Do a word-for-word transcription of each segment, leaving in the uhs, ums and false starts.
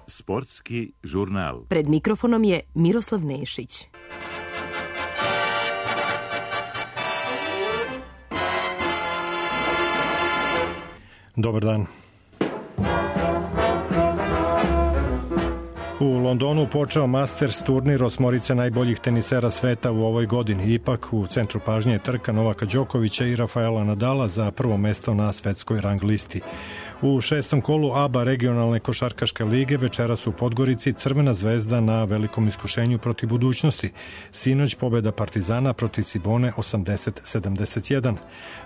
Sportski žurnal. Pred mikrofonom je Miroslav Nešić. Dobar dan. U Londonu počeo Masters turnir osmorice najboljih tenisera sveta u ovoj godini. Ipak u centru pažnje je trka Novaka Đokovića i Rafaela Nadala za prvo mesto na svetskoj rang listi. U šestom kolu A B A regionalne košarkaške lige večeras u Podgorici Crvena zvezda na velikom iskušenju protiv budućnosti. Sinoć pobjeda Partizana protiv Cibone osamdeset sedamdeset jedan.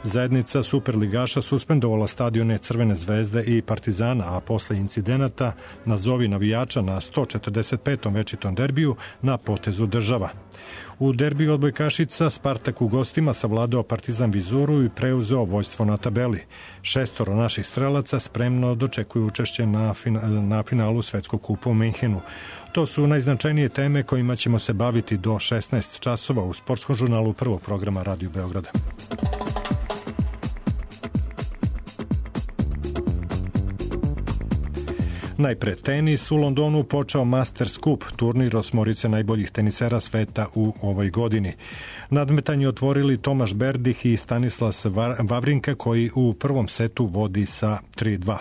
Zajednica superligaša suspendovala stadione Crvene zvezde i Partizana, a posle incidenata nazovi navijača na sto četrdeset petom večitom derbiju na potezu država. U derbiju odbojkašica Spartak u gostima savladao Partizan Vizuru i preuzeo vođstvo na tabeli. Šestoro naših strelaca spremno dočekuju učešće na, fina, na finalu Svetskog kupa u Minhenu. To su najznačajnije teme kojima ćemo se baviti do šesnaest časova u sportskom žurnalu prvog programa Radio Beograda. Najpre tenis. U Londonu počeo Masters Cup, turnir osmorice najboljih tenisera sveta u ovoj godini. Nadmetanje otvorili Tomaš Berdih i Stanislas Wawrinka, koji u prvom setu vodi sa tri dva.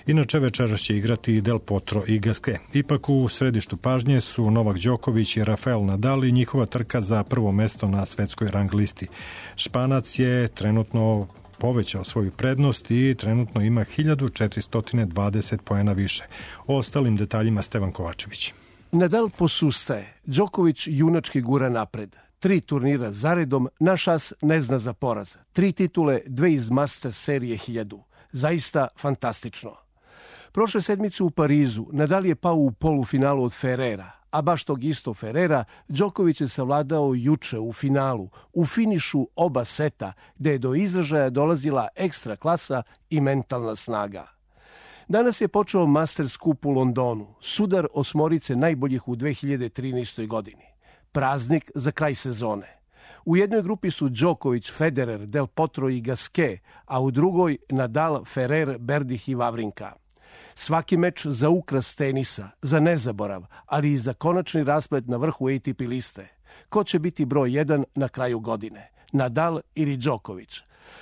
Inače večeras će igrati Del Potro i Gasquet. Ipak u središtu pažnje su Novak Đoković i Rafael Nadal i njihova trka za prvo mesto na svetskoj rang listi. Španac je trenutno povećao svoju prednost i trenutno ima hiljadu četiristo dvadeset poena više. O ostalim detaljima Stevan Kovačević. Nadal posustaje, Đoković junački gura napred. Tri turnira zaredom, naš as ne zna za poraz. Tri titule, dve iz Masters serije hiljadu. Zaista fantastično. Prošle sedmice u Parizu Nadal je pao u polufinalu od Ferrera, a baš tog isto Ferrera Đoković je savladao juče u finalu, u finišu oba seta, gde je do izražaja dolazila ekstra klasa i mentalna snaga. Danas je počeo Masters Cup u Londonu, sudar osmorice najboljih u dve hiljade trinaestoj. godini. Praznik za kraj sezone. U jednoj grupi su Đoković, Federer, Del Potro i Gasquet, a u drugoj Nadal, Ferrer, Berdih i Wawrinka. Svaki meč za ukras tenisa, za nezaborav, ali i za konačni rasplet na vrhu A T P liste. Ko će biti broj jedan na kraju godine? Nadal ili Đoković?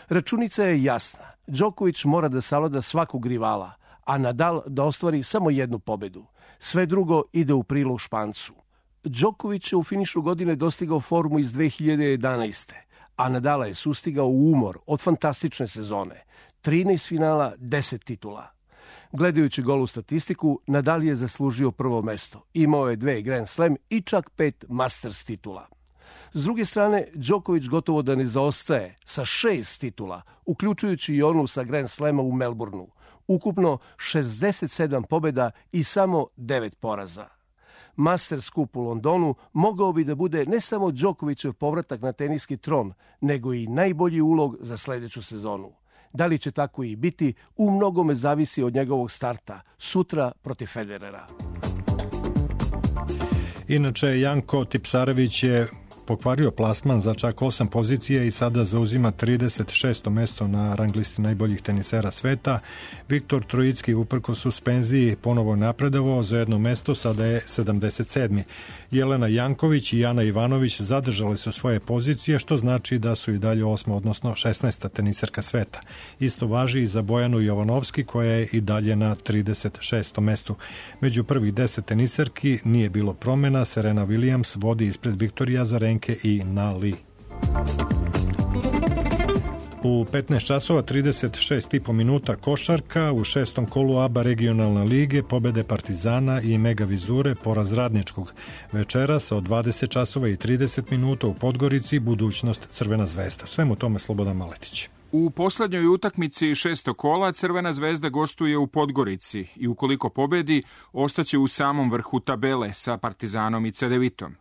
Računica je jasna. Đoković mora da savlada svakog rivala, a Nadal da ostvari samo jednu pobedu. Sve drugo ide u prilog Špancu. Đoković je u finišu godine dostigao formu iz dve hiljade jedanaeste. a Nadala je sustigao u umor od fantastične sezone. trinaest finala, deset titula. Gledajući golu statistiku, Nadal je zaslužio prvo mesto. Imao je dve Grand Slam i čak pet Masters titula. S druge strane, Đoković gotovo da ne zaostaje sa šest titula, uključujući i onu sa Grand Slama u Melbourneu. Ukupno šezdeset sedam pobjeda i samo devet poraza. Masters Cup u Londonu mogao bi da bude ne samo Đokovićev povratak na teniski tron, nego i najbolji ulog za sljedeću sezonu. Da li će tako i biti, u mnogome zavisi od njegovog starta, sutra protiv Federera. Inače, Janko Tipsarević je pokvario plasman za čak osam pozicije i sada zauzima trideset šesto mesto na rang listi najboljih tenisera sveta. Viktor Trojicki uprkos suspenziji ponovo napredovao za jedno mesto, sada je sedamdeset sedmi. Jelena Janković i Ana Ivanović zadržale su svoje pozicije, što znači da su i dalje osma, odnosno šesnaesta teniserka sveta. Isto važi i za Bojanu Jovanovski, koja je i dalje na trideset šestom mestu. Među prvih deset teniserki nije bilo promjena. Serena Williams vodi ispred Viktorija Azarenke i Na Li. U petnaest časova trideset šest i po minuta košarka, u šestom kolu A B A regionalne lige pobede Partizana i Mega Vizure, poraz Radničkog. Večeras od dvadeset časova i trideset minuta u Podgorici budućnost Crvena zvezda. Svemu tome Slobodan Maletić. U poslednjoj utakmici šestog kola Crvena zvezda gostuje u Podgorici i ukoliko pobedi, ostaće u samom vrhu tabele sa Partizanom i Cedevitom.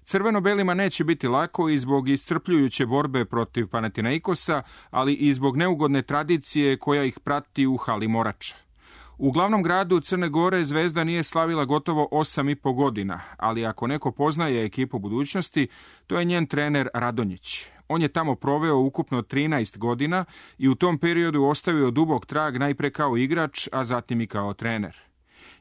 Crveno-belima neće biti lako i zbog iscrpljujuće borbe protiv Panathinaikosa, ali i zbog neugodne tradicije koja ih prati u hali Morača. U glavnom gradu Crne Gore Zvezda nije slavila gotovo osam i po godina, ali ako neko poznaje ekipu budućnosti, to je njen trener Radonjić. On je tamo proveo ukupno trinaest godina i u tom periodu ostavio dubok trag najpre kao igrač, a zatim i kao trener.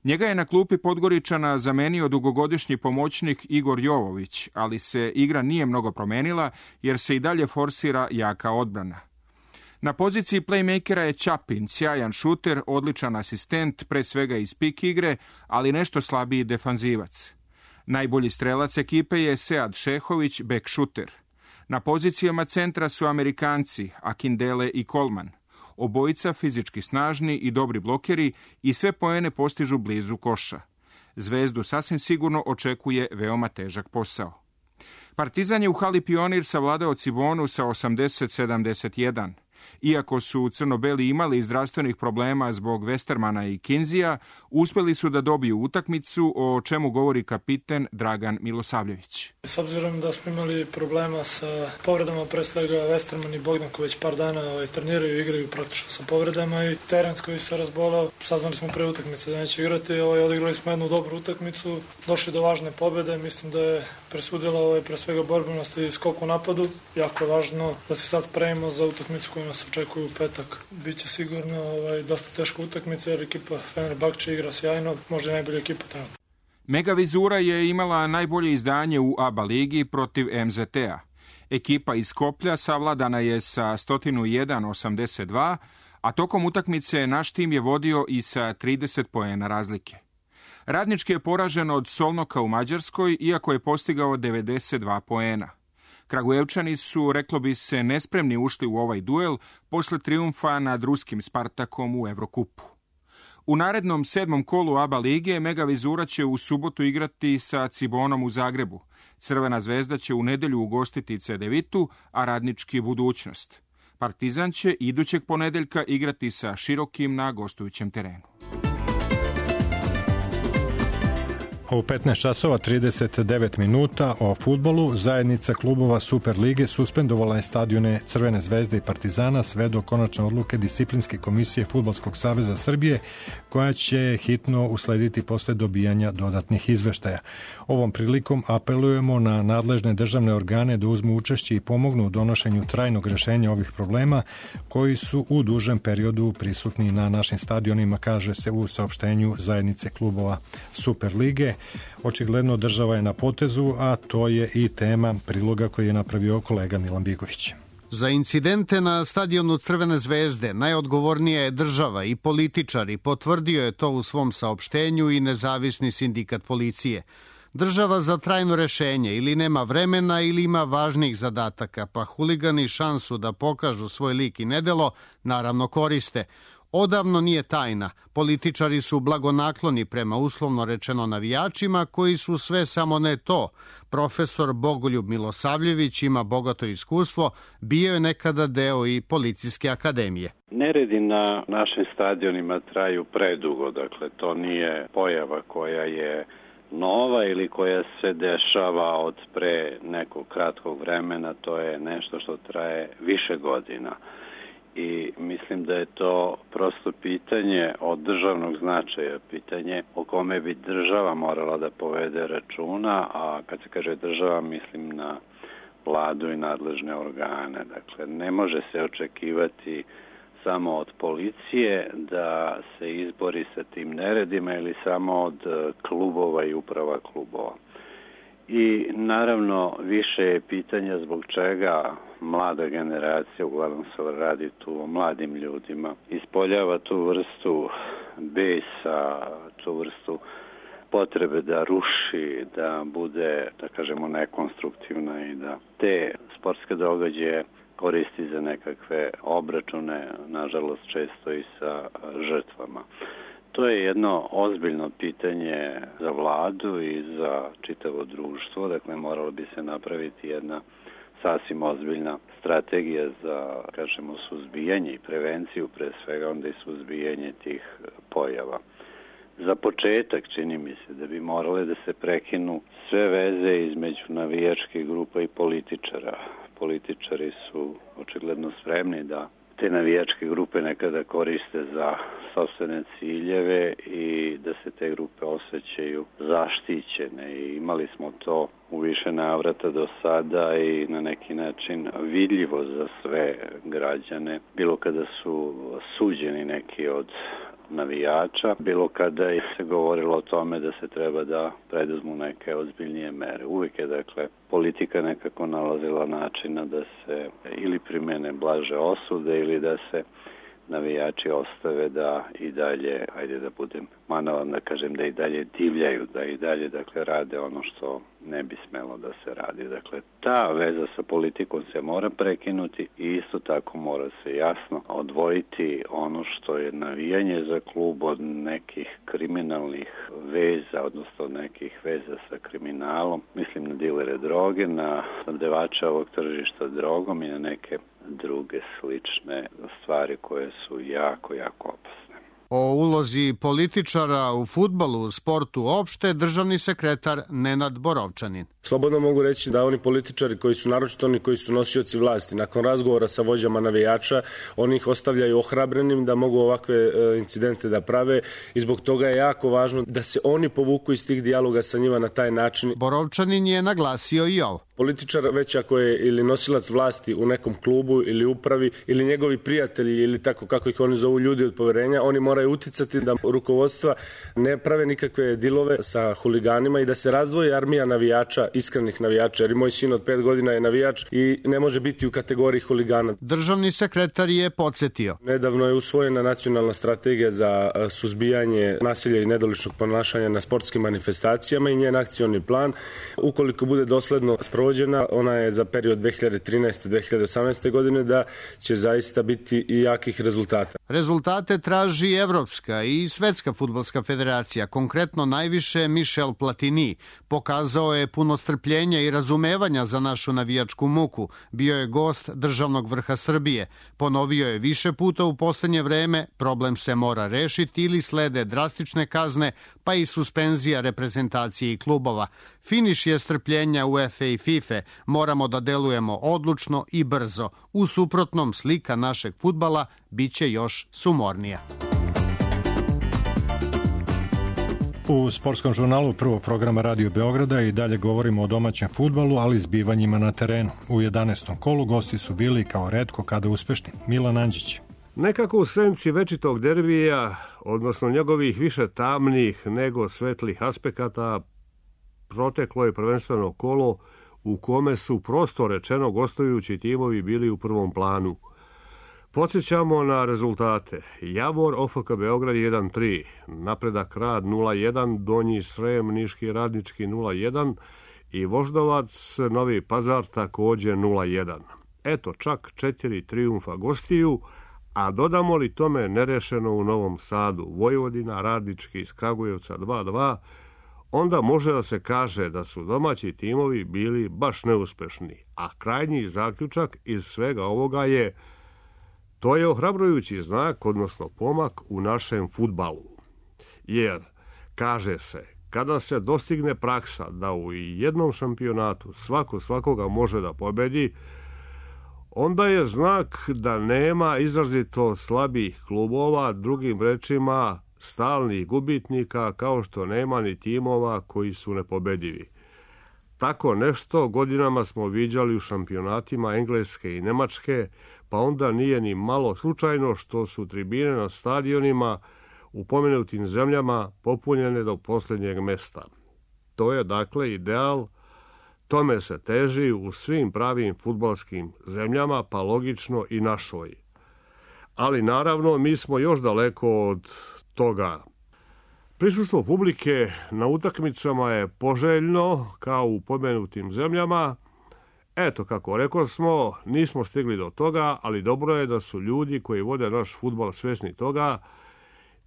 Njega je na klupi Podgoričana zamenio dugogodišnji pomoćnik Igor Jovović, ali se igra nije mnogo promenila jer se i dalje forsira jaka odbrana. Na poziciji playmakera je Ćapin, sjajan šuter, odličan asistent, pre svega iz pik igre, ali nešto slabiji defanzivac. Najbolji strelac ekipe je Sead Šehović, bek šuter. Na pozicijama centra su Amerikanci, Akindele i Coleman. Obojica fizički snažni i dobri blokeri i sve poene postižu blizu koša. Zvezdu sasvim sigurno očekuje veoma težak posao. Partizan je u hali Pionir savladao Cibonu sa osamdeset sedamdeset jedan. Iako su crno-beli imali zdravstvenih problema zbog Westermana i Kinzija, uspjeli su da dobiju utakmicu, o čemu govori kapiten Dragan Milosavljević. S obzirom da smo imali problema sa povredama, pre svega Westerman i Bogdan koji već par dana ovaj, treniraju i igraju praktično sa povredama i Terens koji se razbolao, saznali smo pre utakmice da neće igrati, ovaj, odigrali smo jednu dobru utakmicu, došli do važne pobjede, mislim da je presudila ovaj, pre svega borbenost i skok u napadu. Jako je važno da se sad spremimo za utakmicu koju nas očekuju u petak. Biće sigurno ovaj, dosta teška utakmica jer ekipa Fenerbahče igra sjajno, možda i najbolja ekipa trenutno. Mega Vizura je imala najbolje izdanje u A B A ligi protiv M Z T-a. Ekipa iz Skoplja savladana je sa sto jedan osamdeset dva, a tokom utakmice naš tim je vodio i sa trideset poena razlike. Radnički je poražen od Solnoka u Mađarskoj, iako je postigao devedeset dva poena. Kragujevčani su, reklo bi se, nespremni ušli u ovaj duel posle trijumfa nad ruskim Spartakom u Evrokupu. U narednom sedmom kolu A B A lige Mega Vizura će u subotu igrati sa Cibonom u Zagrebu. Crvena zvezda će u nedelju ugostiti Cedevitu, a Radnički Budućnost. Partizan će idućeg ponedeljka igrati sa Širokim na gostujućem terenu. U petnaest časova trideset devet minuta o fudbalu zajednica klubova Super lige suspendovala je stadione Crvene zvezde i Partizana sve do konačne odluke Disciplinske komisije Fudbalskog saveza Srbije, koja će hitno uslediti posle dobijanja dodatnih izveštaja. Ovom prilikom apelujemo na nadležne državne organe da uzmu učešće i pomognu u donošenju trajnog rešenja ovih problema koji su u dužem periodu prisutni na našim stadionima, kaže se u saopštenju zajednice klubova Super lige. Očigledno država je na potezu, a to je i tema priloga koji je napravio kolega Milan Bigović. Za incidente na stadionu Crvene zvezde najodgovornija je država i političari, potvrdio je to u svom saopštenju i nezavisni sindikat policije. Država za trajno rešenje ili nema vremena ili ima važnijih zadataka, pa huligani šansu da pokažu svoj lik i nedelo naravno koriste. Odavno nije tajna. Političari su blagonakloni prema uslovno rečeno navijačima koji su sve samo ne to. Profesor Bogoljub Milosavljević ima bogato iskustvo, bio je nekada deo i Policijske akademije. Neredi na našim stadionima traju predugo, dakle to nije pojava koja je nova ili koja se dešava od pre nekog kratkog vremena, to je nešto što traje više godina. I mislim da je to prosto pitanje od državnog značaja, pitanje o kome bi država morala da povede računa, a kad se kaže država mislim na vladu i nadležne organe. Dakle, ne može se očekivati samo od policije da se izbori sa tim neredima ili samo od klubova i uprava klubova. I naravno više je pitanja zbog čega mlada generacija, uglavnom se radi tu o mladim ljudima, ispoljava tu vrstu besa, tu vrstu potrebe da ruši, da bude, da kažemo, nekonstruktivna i da te sportske događaje koristi za nekakve obračune, nažalost često i sa žrtvama. To je jedno ozbiljno pitanje za vladu i za čitavo društvo, dakle moralo bi se napraviti jedna sasvim ozbiljna strategija za, kažemo, suzbijanje i prevenciju, pre svega onda i suzbijanje tih pojava. Za početak čini mi se da bi morale da se prekinu sve veze između navijačkih grupa i političara. Političari su očigledno spremni da te navijačke grupe nekada koriste za sopstvene ciljeve i da se te grupe osjećaju zaštićene. I imali smo to u više navrata do sada i na neki način vidljivo za sve građane, bilo kada su suđeni neki od navijača, bilo kada je se govorilo o tome da se treba da preduzmu neke ozbiljnije mere. Uvijek je, dakle, politika nekako nalazila načina da se ili primene blaže osude ili da se navijači ostave da i dalje, ajde da budem manavan da kažem, da i dalje divljaju, da i dalje, dakle, rade ono što ne bi smelo da se radi. Dakle, ta veza sa politikom se mora prekinuti i isto tako mora se jasno odvojiti ono što je navijanje za klub od nekih kriminalnih veza, odnosno nekih veza sa kriminalom. Mislim na dilere droge, na snabdevača ovog tržišta drogom i na neke druge slične stvari koje su jako, jako opasne. O ulozi političara u fudbalu, sportu opšte, državni sekretar Nenad Borovčanin. Slobodno mogu reći da oni političari koji su, naročito oni koji su nosioci vlasti, nakon razgovora sa vođama navijača, oni ih ostavljaju ohrabrenim da mogu ovakve incidente da prave i zbog toga je jako važno da se oni povuku iz tih dijaloga sa njima na taj način. Borovčanin je naglasio i ovo. Političar, već ako je ili nosilac vlasti u nekom klubu ili upravi ili njegovi prijatelji ili tako kako ih oni zovu ljudi od poverenja, oni moraju uticati da rukovodstva ne prave nikakve dilove sa huliganima i da se razdvoji armija navijača, iskrenih navijača, jer i moj sin od pet godina je navijač i ne može biti u kategoriji huligana. Državni sekretar je podsjetio. Nedavno je usvojena nacionalna strategija za suzbijanje nasilja i nedoličnog ponašanja na sportskim manifestacijama i njen akcioni plan. Ukoliko bude dosledno sprovođena, ona je za period dve hiljade trinaeste do dve hiljade osamnaeste. godine, da će zaista biti i jakih rezultata. Rezultate traži Evropska i Svetska fudbalska federacija, konkretno najviše Michel Platini. Pokazao je puno strpljenja i razumevanja za našu navijačku muku. Bio je gost državnog vrha Srbije. Ponovio je više puta u poslednje vreme, problem se mora rešiti ili slede drastične kazne, pa i suspenzija reprezentacije i klubova. Finiš je strpljenja U E F A i FIFA. Moramo da delujemo odlučno i brzo. U suprotnom, slika našeg fudbala biće još sumornija. U sportskom žurnalu prvog programa Radio Beograda i dalje govorimo o domaćem fudbalu, ali zbivanjima na terenu. U jedanaestom kolu gosti su bili kao retko kada uspešni. Milan Andžić. Nekako u senci večitog derbija, odnosno njegovih više tamnih nego svetlih aspekata, proteklo je prvenstveno kolo u kome su prosto rečeno gostujući timovi bili u prvom planu. Podsjećamo na rezultate. Javor O F K Beograd jedan tri, Napredak Rad nula jedan, Donji Srem Niški Radnički nula jedan i Voždovac Novi Pazar takođe nula jedan. Eto čak četiri trijumfa gostiju, a dodamo li tome nerešeno u Novom Sadu, Vojvodina Radnički iz Kragujevca dva dva, onda može da se kaže da su domaći timovi bili baš neuspešni, a krajnji zaključak iz svega ovoga je to je ohrabrujući znak, odnosno pomak u našem fudbalu. Jer, kaže se, kada se dostigne praksa da u jednom šampionatu svako svakoga može da pobedi, onda je znak da nema izrazito slabih klubova, drugim rečima stalnih gubitnika, kao što nema ni timova koji su nepobedivi. Tako nešto godinama smo viđali u šampionatima Engleske i Nemačke, pa onda nije ni malo slučajno što su tribine na stadionima u pomenutim zemljama popunjene do posljednjeg mesta. To je dakle ideal, tome se teži u svim pravim fudbalskim zemljama, pa logično i našoj. Ali naravno mi smo još daleko od toga. Prisustvo publike na utakmicama je poželjno kao u pomenutim zemljama. Eto, kako rekao smo, nismo stigli do toga, ali dobro je da su ljudi koji vode naš fudbal svesni toga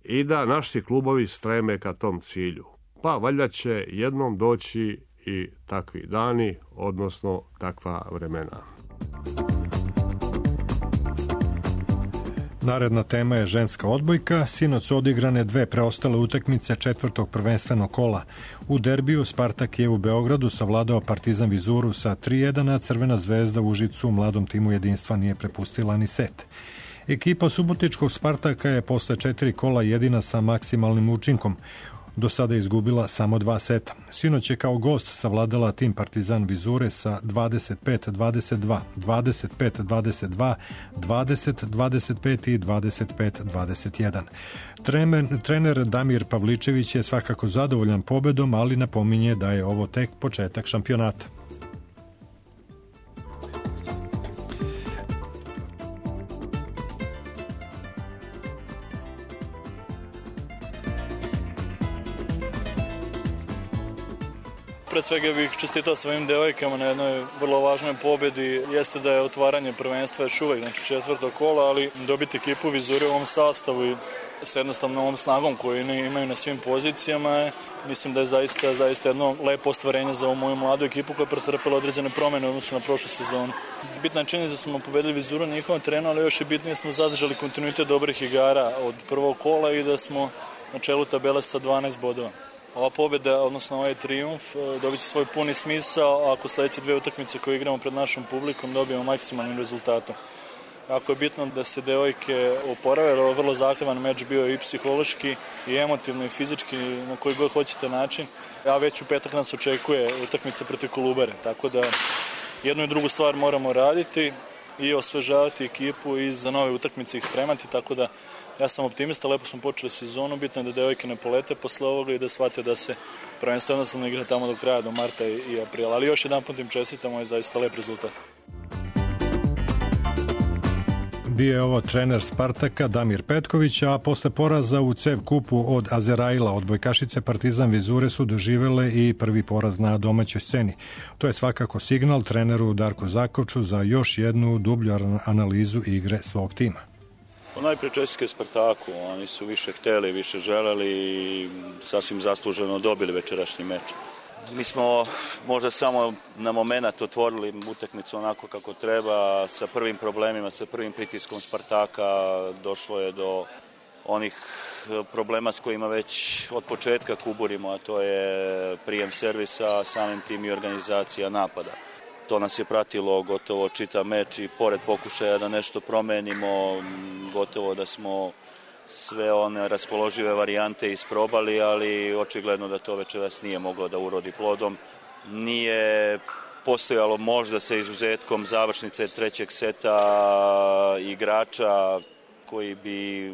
i da naši klubovi streme ka tom cilju. Pa valjda će jednom doći i takvi dani, odnosno takva vremena. Naredna tema je ženska odbojka. Sinoć su odigrane dve preostale utakmice četvrtog prvenstvenog kola. U derbiju Spartak je u Beogradu savladao Partizan Vizuru sa tri jedan, a Crvena zvezda u Užicu u mladom timu jedinstva nije prepustila ni set. Ekipa subotičkog Spartaka je posle četiri kola jedina sa maksimalnim učinkom. Do sada je izgubila samo dva seta. Sinoć je kao gost savladala tim Partizan Vizure sa dvadeset pet dvadeset dva, dvadeset pet dvadeset dva, dvadeset dvadeset pet i dvadeset pet dvadeset jedan. Trener, trener Damir Pavličević je svakako zadovoljan pobedom, ali napominje da je ovo tek početak šampionata. Pre svega bih čestitao svojim devojkama na jednoj vrlo važnoj pobedi. Jeste da je otvaranje prvenstva još uvek, znači četvrto kola, ali dobiti ekipu Vizure u ovom sastavu i sa jednostavnom ovom snagom koju imaju na svim pozicijama, mislim da je zaista, zaista jedno lepo ostvarenje za ovu moju mladu ekipu koja je pretrpela određene promene u odnosu na prošlu sezonu. Bitna je činjenica da smo pobedili Vizuru na njihovom terenu, ali još je bitnije smo zadržali kontinuitet dobrih igara od prvog kola i da smo na čelu tabele sa dvanaest bodova. Ova pobjeda, odnosno ovaj trijumf, dobit će svoj puni smisao ako sledeće dve utakmice koje igramo pred našom publikom dobijemo maksimalnim rezultatom. Jako je bitno da se devojke oporave, jer ovo je vrlo zahtevan meč bio i psihološki, i emotivno, i fizički, na koji god hoćete način. A već u petak nas očekuje utakmica protiv Kolubare, tako da jednu i drugu stvar moramo raditi i osvežavati ekipu i za nove utakmice ih spremati, tako da ja sam optimista, lepo smo počeli sezonu, bitno je da devojke ne polete posle ovoga i da shvate da se prvenstvo jednostavno igra tamo do kraja, do marta i aprila. Ali još jedan put im čestitamo, je zaista lep rezultat. Bio je ovo trener Spartaka Damir Petković, a posle poraza u C E V kupu od Azeraila odbojkašice Partizan Vizure su doživele i prvi poraz na domaćoj sceni. To je svakako signal treneru Darku Zakovču za još jednu dublju analizu igre svog tima. Najprije čestitke Spartaku, oni su više hteli, više želeli i sasvim zasluženo dobili večerašnji meč. Mi smo možda samo na moment otvorili utakmicu onako kako treba, sa prvim problemima, sa prvim pritiskom Spartaka došlo je do onih problema s kojima već od početka kuburimo, a to je prijem servisa, samim tim i organizacija napada. To nas je pratilo gotovo čitav meč i pored pokušaja da nešto promenimo, gotovo da smo sve one raspoložive varijante isprobali, ali očigledno da to večeras nije moglo da urodi plodom. Nije postojalo možda sa izuzetkom završnice trećeg seta igrača koji bi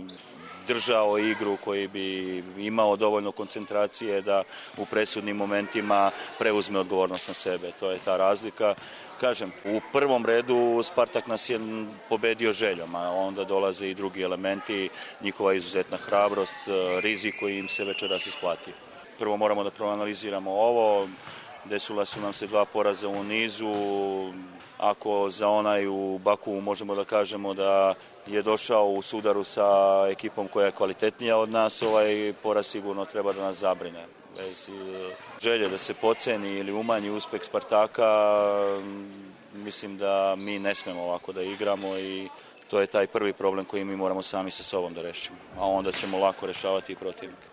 držao igru, koji bi imao dovoljno koncentracije da u presudnim momentima preuzme odgovornost na sebe. To je ta razlika. Kažem, u prvom redu Spartak nas je pobedio željom, a onda dolaze i drugi elementi, njihova izuzetna hrabrost, rizik koji im se večeras isplati. Prvo moramo da proanaliziramo ovo, desila su nam se dva poraza u nizu. Ako za onaj u Baku možemo da kažemo da je došao u sudaru sa ekipom koja je kvalitetnija od nas, ovaj poraz sigurno treba da nas zabrine. Bez želje da se podceni ili umanji uspeh Spartaka, mislim da mi ne smemo ovako da igramo i to je taj prvi problem koji mi moramo sami sa sobom da rešimo, a onda ćemo lako rešavati i protivnika.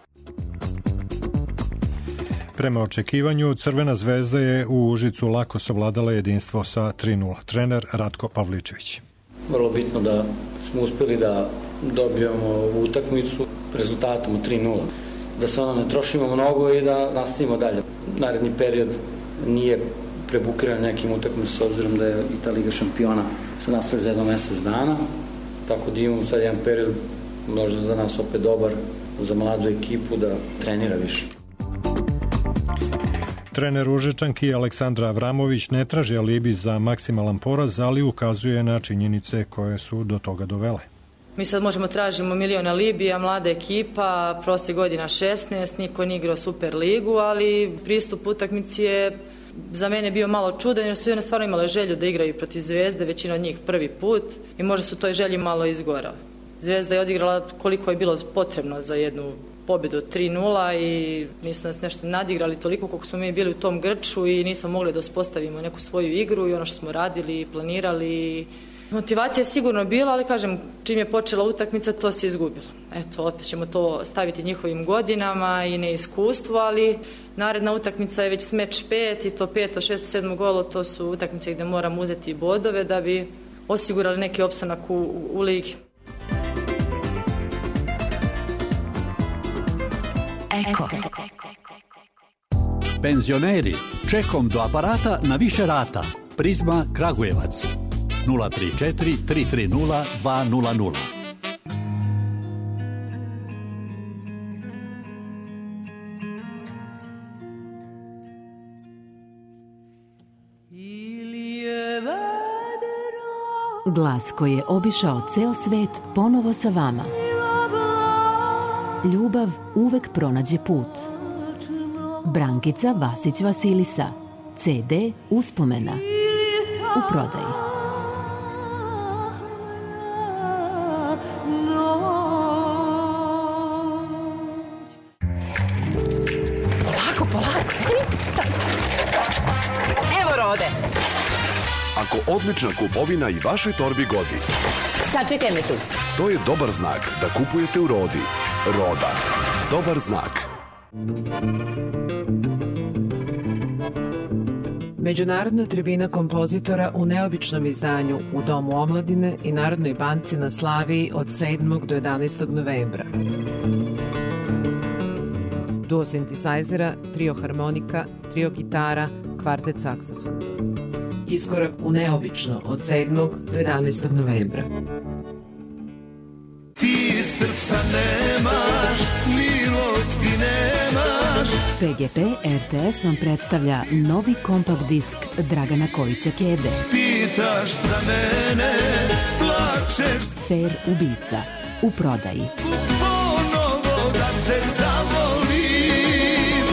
Prema očekivanju, Crvena zvezda je u Užicu lako savladala jedinstvo sa tri nula. Trener Ratko Pavličević. Vrlo bitno da smo uspeli da dobijemo utakmicu rezultatom tri nula. Da se ono ne trošimo mnogo i da nastavimo dalje. Naredni period nije prebukiran nekim utakmicama s obzirom da je i ta Liga šampiona se nastavlja za jedno mesec dana. Tako da imamo sad jedan period možda za nas opet dobar, za mladu ekipu da trenira više. Trener Užičanki Aleksandra Avramović ne traži alibi za maksimalan poraz, ali ukazuje na činjenice koje su do toga dovele. Mi sad možemo tražimo milion alibija, mlada ekipa, prošle godina šesnaest, niko nije igrao Super ligu, ali pristup utakmici je za mene bio malo čudan jer su one stvarno imale želju da igraju protiv Zvezde, većina od njih prvi put i možda su toj želji malo izgorali. Zvezda je odigrala koliko je bilo potrebno za jednu pobedu tri nula i nisu nas nešto nadigrali toliko koliko smo mi bili u tom grču i nismo mogli da uspostavimo neku svoju igru i ono što smo radili, planirali. Motivacija je sigurno bila, ali kažem, čim je počela utakmica, to se izgubilo. Eto, opet ćemo to staviti njihovim godinama i neiskustvu, ali naredna utakmica je već s meč pet i to peto, šesto, sedmo golo, to su utakmice gde moramo uzeti bodove da bi osigurali neki opstanak u, u ligi. Eko. Penzioneri, čekom do aparata na više rata. Prizma Kragujevac. nula tri četiri tri tri nula dva nula nula. Glas koji je obišao ceo svet ponovo sa vama. Ljubav uvek pronađe put. Brankica Vasić Vasilisa. ce de Uspomena. U prodaji. Polako, polako. Evo Rode. Ako odlična kupovina i vašoj torbi godi, Sačekaj me tu. to je dobar znak da kupujete u Rodi. Roda. Dobar znak. Međunarodna tribina kompozitora u neobičnom izdanju u Domu omladine i Narodnoj banci na Slaviji od sedmog do jedanaestog novembra. Duo sintisajzera, trio harmonika, trio gitara, kvartet saksofona. Iskorak u neobično od sedmog do jedanaestog novembra. Ti srca nemaš, milosti nemaš. P G P R T S vam predstavlja novi kompakt disk Dragana Kojića Kebe. Pitaš za mene, plačeš. Fair ubica. U prodaji. Ponovo da te zavolim.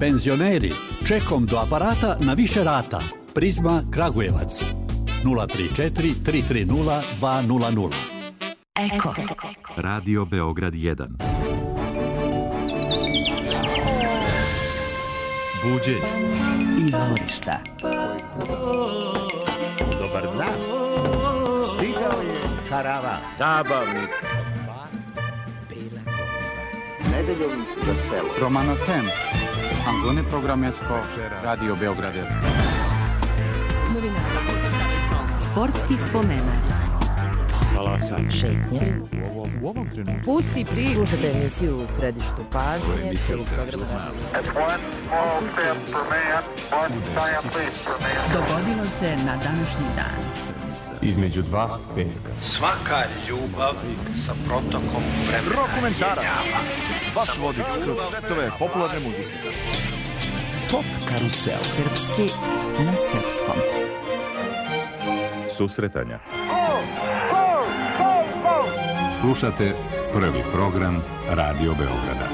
Penzioneri, čekom do aparata na više rata. Prizma Kragujevac. nula tri četiri tri tri nula dva nula nula. Eko. Radio Beograd jedan. Buđenje. Izvorišta. Dobar dan. Stigao je karavan. Zabavnik. Nedeljom za selo. Romano Tem. Angone programesko. Radio Beograd jedan. Sportski spomenak. Talasan. Šetnje. U ovom trenutku. Pusti priču. Slušajte emisiju u središtu pažnje. Dogodilo se na današnji dan. Između dva veka. Svaka ljubav sa protokom vremena. Rokomentarac. Vaš vodič kroz svetove popularne muzike. Pop karusel. Srpski na srpskom. Susretanja. Slušate prvi program Radio Beograda.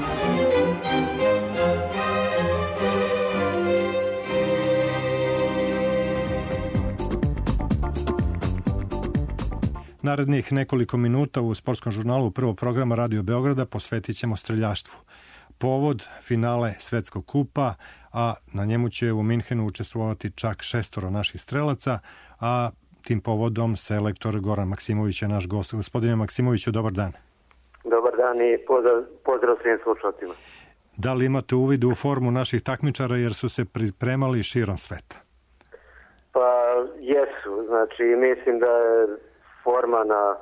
Narednih nekoliko minuta u sportskom žurnalu prvog programa Radio Beograda posvetit ćemo streljaštvu. Povod finale Svetskog kupa, a na njemu će u Minhenu učestvovati čak šestoro naših strelaca, a tim povodom selektor Goran Maksimović je naš gost. Gospodine Maksimoviću, dobar dan. Dobar dan i pozdrav, pozdrav svim slušalcima. Da li imate uvid u formu naših takmičara jer su se pripremali širom sveta? Pa jesu, znači mislim da je forma na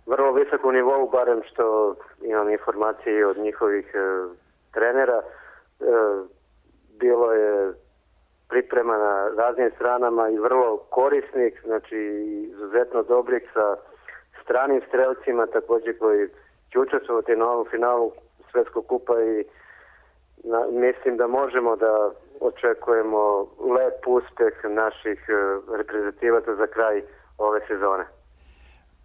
vrlo visokom nivou, barem što imam informacije od njihovih e, trenera. E, bilo je priprema na raznim stranama i vrlo korisnih, znači izuzetno dobrih sa stranim strelcima također koji će učestvovati na ovom finalu Svetskog kupa i na, mislim da možemo da očekujemo lep uspeh naših e, reprezentativaca za kraj ove sezone.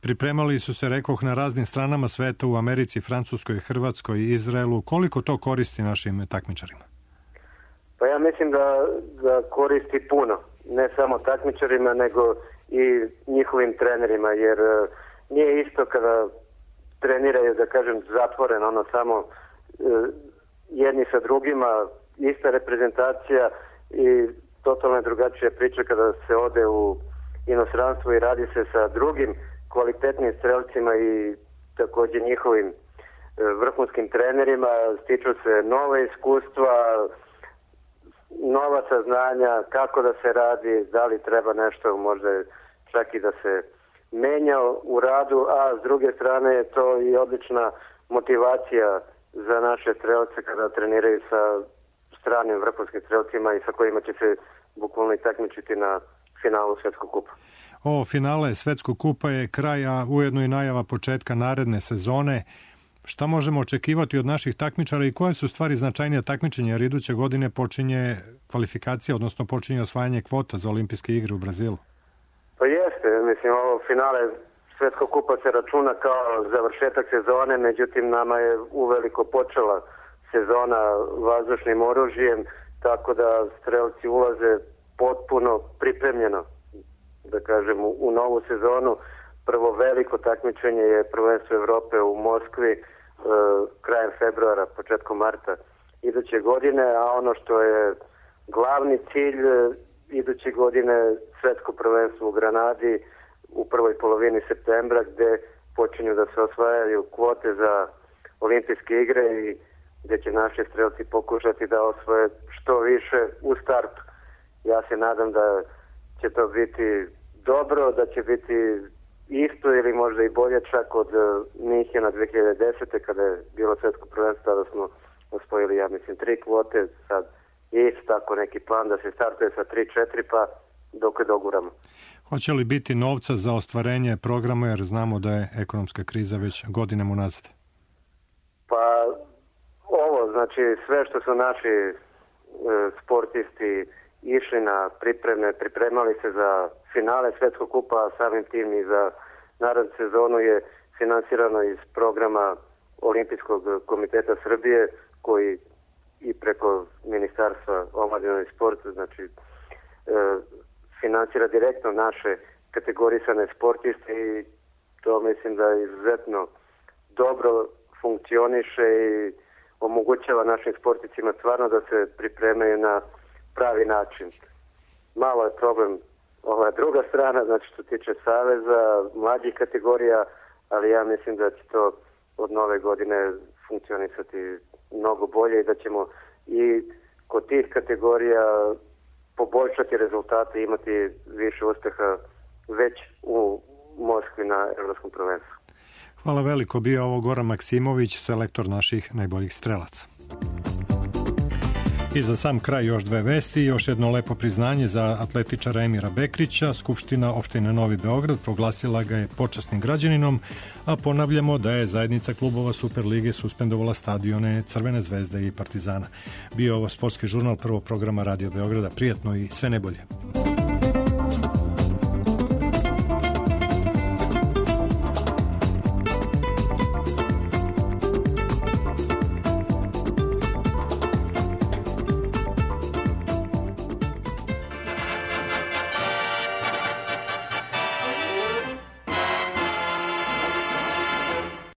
Pripremali su se, rekoh, na raznim stranama sveta, u Americi, Francuskoj, Hrvatskoj, Izraelu. Koliko to koristi našim takmičarima? Pa ja mislim da, da koristi puno. Ne samo takmičarima, nego i njihovim trenerima, jer uh, nije isto kada treniraju, da kažem, zatvoreno, ono samo uh, jedni sa drugima, ista reprezentacija i totalno drugačija priča kada se ode u inostranstvo i radi se sa drugim kvalitetnim strelcima i također njihovim uh, vrhunskim trenerima, stiču se nove iskustva, nova saznanja kako da se radi, da li treba nešto možda čak i da se menja u radu, a s druge strane je to i odlična motivacija za naše strelce kada treniraju sa stranim vrhunskim strelcima i sa kojima će se bukvalno i takmičiti na finalu Svetskog kupa. Ovo finale Svetskog kupa je kraj, a ujedno i najava početka naredne sezone. Šta možemo očekivati od naših takmičara i koje su stvari značajnije takmičenja, jer iduće godine počinje kvalifikacija, odnosno počinje osvajanje kvota za olimpijske igre u Brazilu? Pa jeste, mislim, ovo finale Svetskog kupa se računa kao završetak sezone, međutim nama je uveliko počela sezona vazdušnim oružjem, tako da strelci ulaze potpuno pripremljeno, da kažem, u novu sezonu. Prvo veliko takmičenje je prvenstvo Evrope u Moskvi e, krajem februara, početkom marta iduće godine, a ono što je glavni cilj e, iduće godine svetsko prvenstvo u Granadi u prvoj polovini septembra, gde počinju da se osvajaju kvote za olimpijske igre i gde će naši strelci pokušati da osvoje što više u startu. Ja se nadam da će to biti dobro, da će biti isto ili možda i bolje čak od Minhena dve hiljade desete kada je bilo svetsko prvenstvo, tada smo osvojili, ja mislim, tri kvote, sad je isto tako neki plan da se startuje sa tri četiri pa dok je doguramo. Hoće li biti novca za ostvarenje programa, jer znamo da je ekonomska kriza već godinama unazad? Pa ovo, znači sve što su naši e, sportisti išli na pripreme, pripremali se za finale Svetskog kupa, a samim tim i za narednu sezonu je finansirano iz programa Olimpijskog komiteta Srbije, koji i preko Ministarstva omladine i sporta, znači e, finansira direktno naše kategorisane sportiste i to mislim da izuzetno dobro funkcioniše i omogućava našim sportistima stvarno da se pripremaju na pravi način. Malo je problem ova druga strana, znači što tiče saveza, mlađih kategorija, ali ja mislim da će to od nove godine funkcionisati mnogo bolje i da ćemo i kod tih kategorija poboljšati rezultate i imati više uspeha već u Moskvi na Evropskom prvenstvu. Hvala veliko, bio ovo Goran Maksimović, selektor naših najboljih strelaca. I za sam kraj još dve vesti, još jedno lepo priznanje za atletičara Emira Bekrića. Skupština opštine Novi Beograd proglasila ga je počasnim građaninom, a ponavljamo da je zajednica klubova Superlige suspendovala stadione Crvene zvezde i Partizana. Bio ovo sportski žurnal prvog programa Radio Beograda. Prijatno i sve najbolje.